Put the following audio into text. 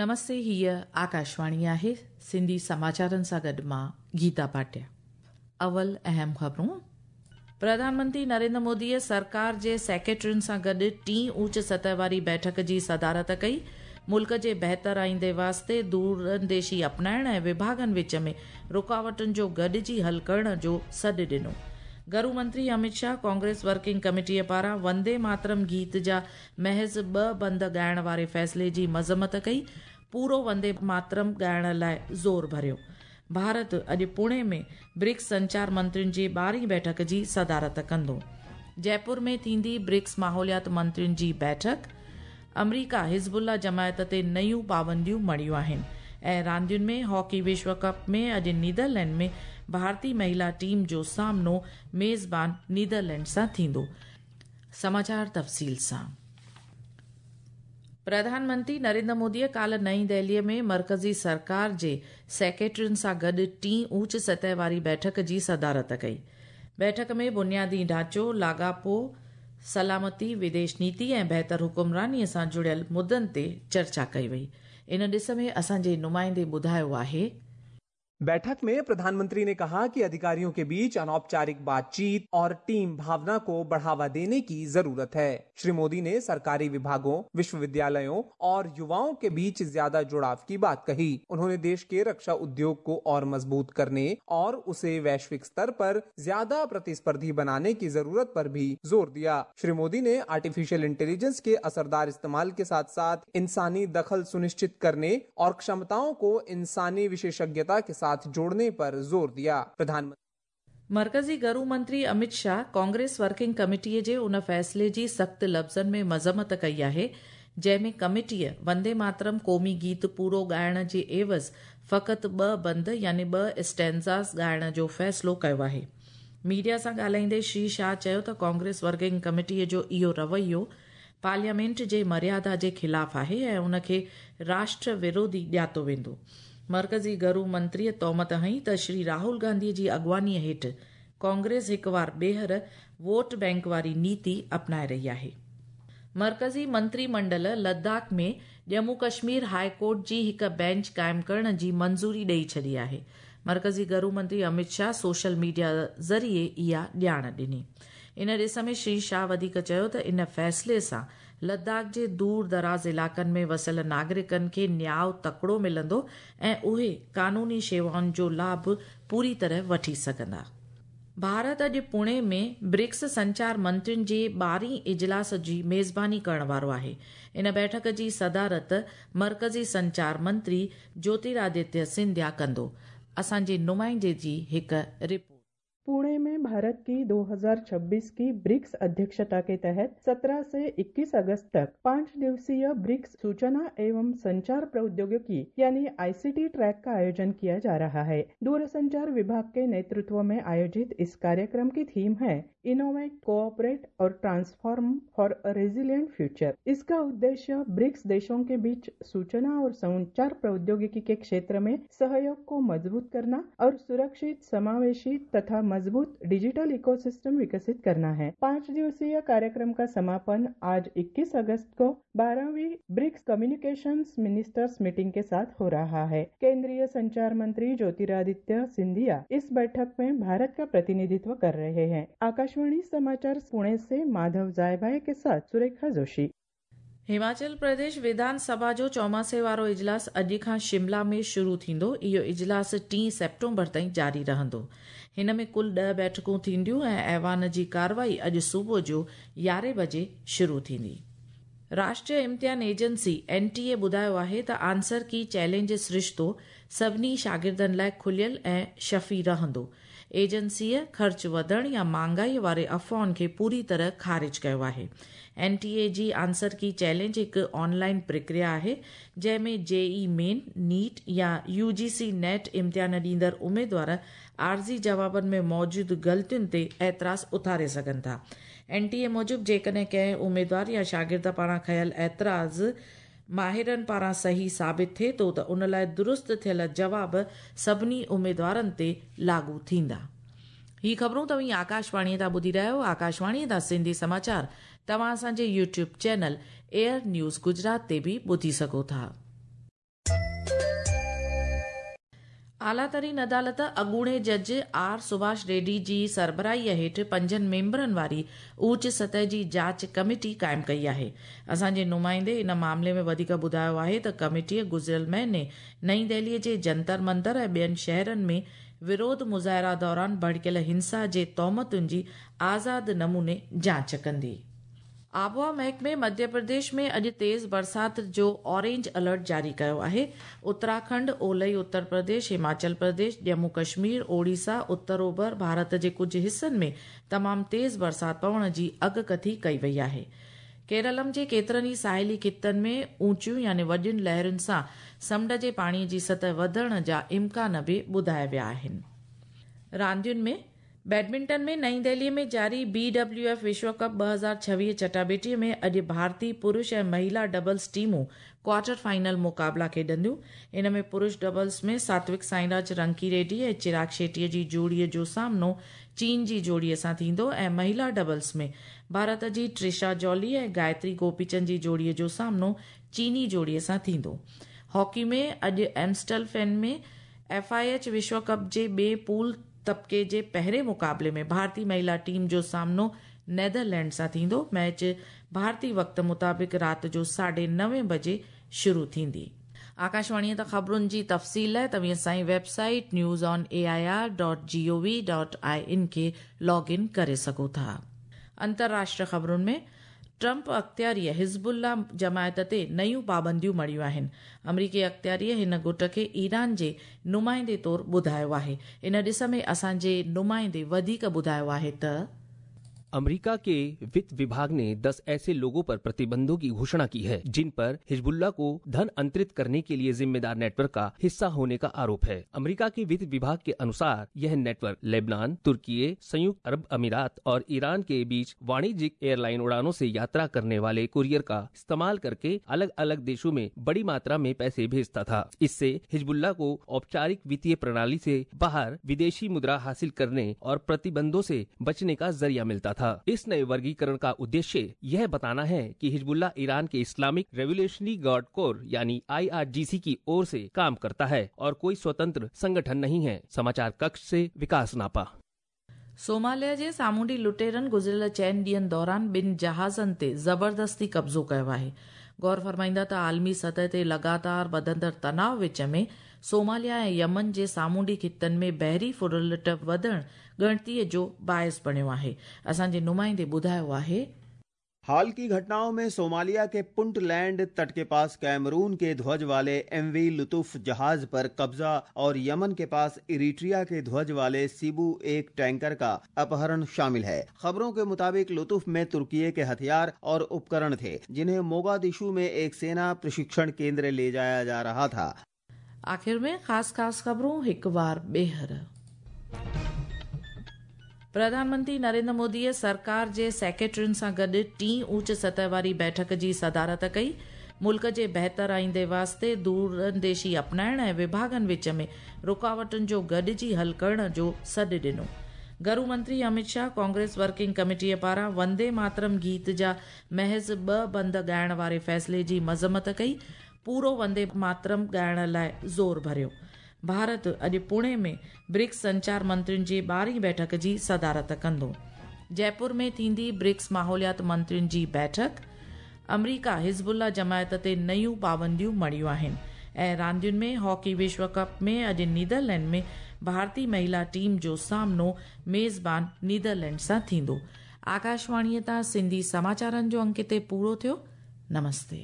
نمستي هيء آڪاشواڻي آهي سنڌي سماچارن سان گڏ مان گيتا ڀاٽيا. اول اهم خبرون. پرڌان منتري نريندر موديء سرڪار جي سيڪريٽرين سان گڏ ٽين اوچ سطح واري بيٺڪ جي صدارت ڪئي. ملڪ جي بهتر آئيندي واسطي دورانديشي اپنائڻ ۽ وڀاڳن وچ ۾ رڪاوٽن جو گڏجي حل ڪرڻ جو سڏ ڏنو. گهرو منتري امت شاهه ڪانگريس ورڪنگ ڪميٽيء پاران وندي ماترم گيت جا محض ٻه بند ڳائڻ واري فيصلي جي مذمت ڪئي، پورو وندي ماترم ڳائڻ لاء زور ڀريو. ڀارت اڄ پوڻي ۾ برڪس سنچار منترين جي ٻارهين بيٺڪ جي صدارت ڪندو. جئپور ۾ ٿيندي برڪس ماحوليات منترين جي بيٺڪ. آمريڪا حزب الله جماعت تي نيون پابنديون مڙهيون آهن ۽ راندين ۾ هاڪي وشو ڪپ ۾ اڄ نيدرلينڊ ۾ ڀارتي مهلا ٽيم جو سامنو ميزبان نيدرلينڊ سان ٿيندو. سماچار تفصيل سان. پرڌان منتري نريندر موديء ڪالهه نئين دهليء ۾ مرڪزي سرڪار جي سيڪريٽرين سان گڏ ٽين اوچ سطح واري بيٺڪ جي صدارت ڪئي. بيٺڪ ۾ بنيادي ڍانچو، لاڳاپو، سلامتي، وديش نيتي ۽ بهتر حڪمرانيء سان جڙيل مدن تي چرچا ڪئي وئي. ان ڏس ۾ اسان جي نمائندي ٻڌايو آهي. बैठक में प्रधानमंत्री ने कहा कि अधिकारियों के बीच अनौपचारिक बातचीत और टीम भावना को बढ़ावा देने की जरूरत है। श्री मोदी ने सरकारी विभागों, विश्वविद्यालयों और युवाओं के बीच ज्यादा जुड़ाव की बात कही। उन्होंने देश के रक्षा उद्योग को और मजबूत करने और उसे वैश्विक स्तर पर ज्यादा प्रतिस्पर्धी बनाने की जरूरत पर भी जोर दिया। श्री मोदी ने आर्टिफिशियल इंटेलिजेंस के असरदार इस्तेमाल के साथ साथ इंसानी दखल सुनिश्चित करने और क्षमताओं को इंसानी विशेषज्ञता के साथ जोड़ने पर जोर दिया। प्रधानमंत्री मर्कज़ी گهرو منتري امت شاهه ڪانگريس ورڪنگ ڪميٽيء جي ان فيصلي جي سخت لفظن ۾ مذمت ڪئي آهي، جنهن ۾ ڪميٽيء وندي ماترم قومي گيت پورو ڳائڻ جي عيوض فقط ٻه بند يعني ٻه اسٽينزاز ڳائڻ جو فيصلو ڪيو آهي. ميڊيا سان ڳالهائيندي شري شاهه چيو ته ڪانگريس ورڪنگ ڪميٽيء جو اهو رويو پارليامينٽ جي مريادا جي خلاف آهي ۽ ان کي راشٽر وروڌي ڄاتو ويندو. مرڪزي گهرو منتريء تهمت هنئي ته شري راهول گانڌي جي اڳواڻيء هيٺ ڪانگريس هڪ وار ٻيهر ووٽ بئنڪ واري نيتي اپنائي رهي آهي. مرڪزي منتري منڊل لداخ ۾ ڄمون ڪشمير هاء ڪورٽ جي هڪ بينچ قائم ڪرڻ جي منظوري ڏئي ڇڏي آهي. مرڪزي گهرو منتري امت شاهه سوشل ميڊيا ذريعي اها ڄاڻ ڏني. ان ڏس ۾ شري شاهه وڌيڪ چيو ته ان فيصلي سان لداخ جي دور دراز علائقن ۾ وسيل ناگرڪن کي نياء تڪڙو ملندو ۽ اهي قانوني شيوائن جو لاڀ پوري طرح وٺي سگهندا. ڀارت اڄ پوڻي ۾ برڪس سنچار منترين جي ٻارهين اجلاس جي ميزباني ڪرڻ وارو آهي. ان بيٺڪ جي صدارت مرڪزي سنچار منتري جوتيرادتيه سنڌيا ڪندو. اسان جي نمائندي جي هڪ رپورٽ. पुणे में भारत की 2026 की ब्रिक्स अध्यक्षता के तहत 17 से 21 अगस्त तक 5 दिवसीय ब्रिक्स सूचना एवं संचार प्रौद्योगिकी यानी आईसीटी ट्रैक का आयोजन किया जा रहा है। दूरसंचार विभाग के नेतृत्व में आयोजित इस कार्यक्रम की थीम है इनोवेट, कोऑपरेट और transform for a resilient future. इसका उद्देश्य ब्रिक्स देशों के बीच सूचना और संचार प्रौद्योगिकी के क्षेत्र में सहयोग को मजबूत करना और सुरक्षित, समावेशी तथा मजबूत डिजिटल इकोसिस्टम विकसित करना है। 5 दिवसीय कार्यक्रम का समापन आज 21 अगस्त को 12वीं ब्रिक्स कम्युनिकेशंस मिनिस्टर्स मीटिंग के साथ हो रहा है। केंद्रीय संचार मंत्री ज्योतिरादित्य सिंधिया इस बैठक में भारत का प्रतिनिधित्व कर रहे हैं। आकाशवाणी समाचार पुणे से माधव जायभाई के साथ सुरेखा जोशी। हिमाचल प्रदेश विधान सभा जो चौमासे वारो इजलास अॼु खां शिमला में शुरू थींदो। इहो इजलास 3 सेप्टेम्बर ताईं जारी रहंदो। हिन में कुल 10 बैठकूं थींदियूं ऐं ऐवान जी कार्रवाई अॼु सुबुह जो 11 बजे शुरू थींदी। राष्ट्रीय इम्तिहान एजेंसी एन टी ए ॿुधायो आहे त आंसर की चैलेंज सरिश्तो सभिनी शागिर्दनि लाइ खुलियल ऐं शफ़ी रहंदो। एजेंसीअ ख़र्च वधण या महांगाईअ वारे अफ़वाहुनि खे पूरी तरह ख़ारिज कयो आहे। एन टी ए जी आंसर की चैलेंज हिकु ऑनलाइन प्रक्रिया आहे, जंहिं में जे ई मेन, नीट या you ji C NET इम्तिहान ॾींदड़ उमेदवार आर्ज़ी जवाबनि में मौजूद ग़लतियुनि ते एतिराज़ उथारे सघनि था। एन टी ए मूजिबि जेकॾहिं कंहिं उमेदवार या शागिर्द पारां खयल एतिराज़ माहिरनि पारां सही साबित थिए थो त उन लाइ दुरुस्त थियल जवाब सभिनी उमेदवारनि ते लागू थींदा। ही ख़बरूं तव्हीं आकाशवाणीअ तां ॿुधी रहिया आहियो। आकाशवाणीअ तां सिंधी समाचार तव्हां असांजे YouTube channel air news Gujarat ते बि ॿुधी सघो था। اعليٰ ترين عدالت اڳوڻي جج آر سڀاش ريڊي جي سربراهيء هيٺ پنجن ميمبرن واري اوچ سطح جي جاچ ڪميٽي قائم ڪئي آهي. اسان جي نمائندي ان معاملي ۾ وڌيڪ ٻڌايو آهي ته ڪميٽيء گذريل مهيني نئين دهلي جي جنتر منتر ۽ ٻين شهرن ۾ وروڌ مظاهرا دوران ڀڙڪيل هنسا جي تهمتن جي آزاد نموني جاچ ڪندي. آبهوا محڪمي مڌيه پرديش ۾ اڄ تيز برسات جو اورينج الرٽ جاري ڪيو آهي. اتراکنڊ، اولهي اتر پرديش، هماچل پرديش، ڄمون ڪشمير، اوڙيسا، اتر اوڀر ڀارت جي ڪجهه حصن ۾ تمام تيز برسات پوڻ جي اڳڪٿي ڪئي وئي آهي. ڪيرلم جي ڪيترن ئي ساحلي خطن ۾ اوچيون يعني وڏين لهرن سان سمنڊ جي پاڻي جي سطح وڌڻ جا امڪان به ٻڌايا ويا آهن. راندين ۾ بيڊمنٽن ۾ نئين دهلي ۾ جاري بي ڊبليو ايف وشو ڪپ 2026 چٽاڀيٽي ۾ اڄ ڀارتي پرش ۽ مهيلا ڊبلز ٽيمون ڪوارٽر فائنل مقابلا کيڏنديون. ان ۾ پرش ڊبلز ۾ ساتوڪ سائينراج رنڪي ريڊي ۽ چراغ شيٽي جي جوڙي جو سامنو چين جي جوڙي سان ٿيندو ۽ مهيلا ڊبلز ۾ ڀارت جي ٽرشا جولي ۽ گايتري گوپيچند جي جوڙي جو سامنو چيني جوڙي سان ٿيندو. هاڪي ۾ اڄ ايمسٽلفين ۾ ايف I H وشو ڪپ جي ٻئي پول طبقي جي پهرين مقابلي ۾ ڀارتي مهيلا ٽيم جو سامنو نيدرلينڊ سان ٿيندو. ميچ ڀارتي وقت مطابق رات جو 9:30 بجي شروع ٿيندي. آڪاشواڻيء تان خبرن جي تفصيل لاء توهين اسان جي web site news on A I R dot G O V dot I N کي لاگ ان ڪري سگهو ٿا. انترراشٽر خبرن ۾ ٽرمپ اختياريء حزب الله جماعت تي نيون پابنديون مڙهيون آهن. آمريڪي اختياريء هن گٽ کي ايران جي نمائندي طور ٻڌايو آهي. ان ڏس ۾ اسان جي نمائندي وڌيڪ ٻڌايو آهي ته. अमेरिका के वित्त विभाग ने 10 ऐसे लोगों पर प्रतिबंधों की घोषणा की है जिन पर हिजबुल्लाह को धन अंतरित करने के लिए जिम्मेदार नेटवर्क का हिस्सा होने का आरोप है। अमेरिका के वित्त विभाग के अनुसार यह नेटवर्क लेबनान, तुर्की, संयुक्त अरब अमीरात और ईरान के बीच वाणिज्यिक एयरलाइन उड़ानों से यात्रा करने वाले कुरियर का इस्तेमाल करके अलग अलग देशों में बड़ी मात्रा में पैसे भेजता था। इससे हिजबुल्लाह को औपचारिक वित्तीय प्रणाली से बाहर विदेशी मुद्रा हासिल करने और प्रतिबंधों से बचने का जरिया मिलता था। इस नए वर्गीकरण का उद्देश्य यह बताना है कि हिजबुल्लाह ईरान के इस्लामिक रेवोल्यूशनरी गार्ड कोर यानी आईआरजीसी की ओर से काम करता है और कोई स्वतंत्र संगठन नहीं है। समाचार कक्ष से विकास नापा। सोमालिया जे सामुंडी लुटेरनि गुज़िरियल चइनि ॾींहंनि दौरान ॿिनि जहाज़नि ते ज़बरदस्ती कब्ज़ो कयो आहे। गौर फरमाईंदा त आलमी सतह ते लगातार वधंदड़ तनाव विच में सोमालिया ऐं यमन जे सामुंडी ख़ितनि में बहरी फुरलुट वधणु ॻणतीअ जो बाइस बणियो आहे। असांजे नुमाइंदे ॿुधायो आहे। हाल की घटनाओं में सोमालिया के पुंटलैंड तट के पास कैमरून के ध्वज वाले एमवी लुतुफ जहाज पर कब्जा और यमन के पास इरिट्रिया के ध्वज वाले सिबू एक टैंकर का अपहरण शामिल है। खबरों के मुताबिक लुतुफ में तुर्की के हथियार और उपकरण थे, जिन्हें मोगादिशु में एक सेना प्रशिक्षण केंद्र ले जाया जा रहा था। आख़िर में ख़ासि ख़ासि ख़बरूं हिकु वार ॿीहर। प्रधानमंत्री नरेंद्र मोदीअ सरकार जे सेक्रेटरियुनि सां गॾु टीं ऊच सतह वारी बैठक जी सदारत कई। मुल्क जे बहितर आईंदे वास्ते दूरंदेशी अपनाइण ऐं विभागनि विच में रुकावटुनि जो गॾिजी हल करण जो सॾु ॾिनो। गृह मंत्री अमित शाह कांग्रेस वर्किंग कमेटीअ पारां वंदे मातरम गीत जा महज़ ॿ बंद ॻाइण वारे फ़ैसिले जी मज़म्मत कई। पूरो वंदे मातरम ॻाइण लाइ ज़ोर भरियो। भारत अॼु पुणे में ब्रिक्स संचार मंत्रियुनि जी 12वीं बैठक जी सदारत कंदो। जयपुर में थींदी ब्रिक्स माहौलियात मंत्रियुनि जी बैठक। अमरीका हिज़बुल्लाह जमायत ते नयूं पाबंदियूं मढ़ियूं आहिनि। ऐं रांदियुनि में हॉकी विश्व कप में अॼु नीदरलैंड में भारतीय महिला टीम जो सामनो मेज़बान नीदरलैंड सां थींदो। आकाशवाणीअ तां सिंधी समाचारनि जो अंक हिते पूरो थियो। नमस्ते।